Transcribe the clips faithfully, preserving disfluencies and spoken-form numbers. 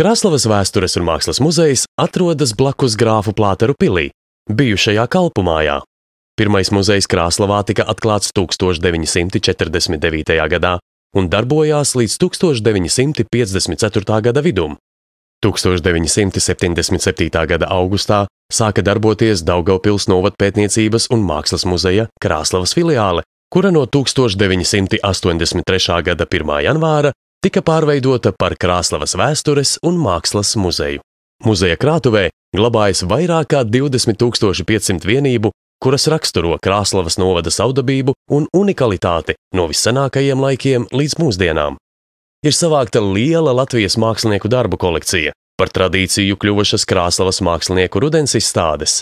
Krāslavas vēstures un mākslas muzejs atrodas blakus Grāfu Plāteru pilī, bijušajā kalpumājā. Pirmais muzejs Krāslavā tika atklāts tūkstoš deviņi simti četrdesmit devītajā gadā un darbojās līdz tūkstoš deviņi simti piecdesmit ceturtā gada vidum. tūkstoš deviņi simti septiņdesmit septītā gada augustā sāka darboties Daugavpils novadpētniecības un mākslas muzeja Krāslavas filiāle, kura no tūkstoš deviņi simti astoņdesmit trešā gada pirmā janvāra tika pārveidota par Krāslavas vēstures un mākslas muzeju. Muzeja krātuvē glabājas vairāk kā divdesmit tūkstoši piecsimt vienību, kuras raksturo Krāslavas novada savdabību un unikalitāti no vissenākajiem laikiem līdz mūsdienām. Ir savākta liela Latvijas mākslinieku darbu kolekcija, par tradīciju kļuvušas Krāslavas mākslinieku rudens izstādes.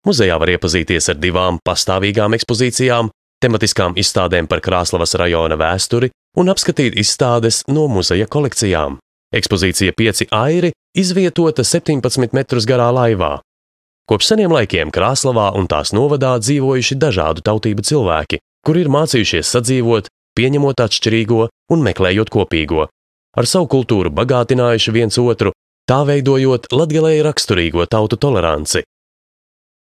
Muzejā var iepazīties ar divām pastāvīgām ekspozīcijām, tematiskām izstādēm par Krāslavas rajona vēsturi un apskatīt izstādes no muzeja kolekcijām. Ekspozīcija Pieci airi izvietota septiņpadsmit metrus garā laivā. Kopš seniem laikiem Krāslavā un tās novadā dzīvojuši dažādu tautību cilvēki, kuri ir mācījušies sadzīvot, pieņemot atšķirīgo un meklējot kopīgo. Ar savu kultūru bagātinājuši viens otru, tā veidojot latgalei raksturīgo tautu toleranci.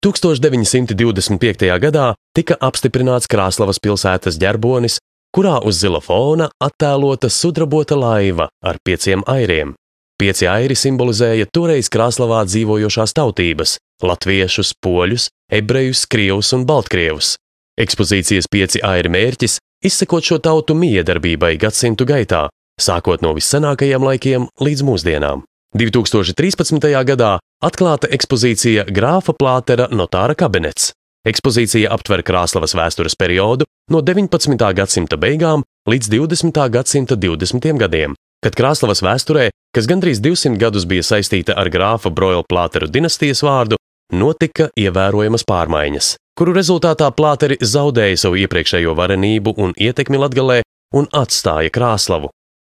tūkstoš deviņi simti divdesmit piektajā gadā tika apstiprināts Krāslavas pilsētas ģerbonis, kurā uz zila fona attēlota sudrabota laiva ar pieciem airiem. Pieci airi simbolizēja toreiz Krāslavā dzīvojošās tautības – latviešus, poļus, ebrejus, krievus un baltkrievus. Ekspozīcijas Pieci airi mērķis – izsekot šo tautu miedarbībai gadsimtu gaitā, sākot no vissenākajiem laikiem līdz mūsdienām. divi tūkstoši trīspadsmitajā gadā atklāta ekspozīcija Grāfa Plātera notāra kabinets. Ekspozīcija aptver Krāslavas vēstures periodu no deviņpadsmitā gadsimta beigām līdz divdesmitā gadsimta divdesmitajiem gadiem, kad Krāslavas vēsturē, kas gandrīz divsimt gadus bija saistīta ar Grāfa Broila Plāteru dinastijas vārdu, notika ievērojamas pārmaiņas, kuru rezultātā Plāteri zaudēja savu iepriekšējo varenību un ietekmi Latgalē un atstāja Krāslavu.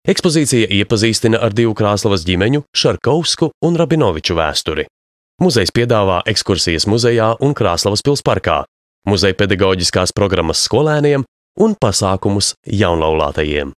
Ekspozīcija iepazīstina ar divu Krāslavas ģimeņu, Šarkovsku un Rabinoviču vēsturi. Muzejs piedāvā ekskursijas muzejā un Krāslavas pils parkā, muzeja pedagoģiskās programmas skolēniem un pasākumus jaunlaulātajiem.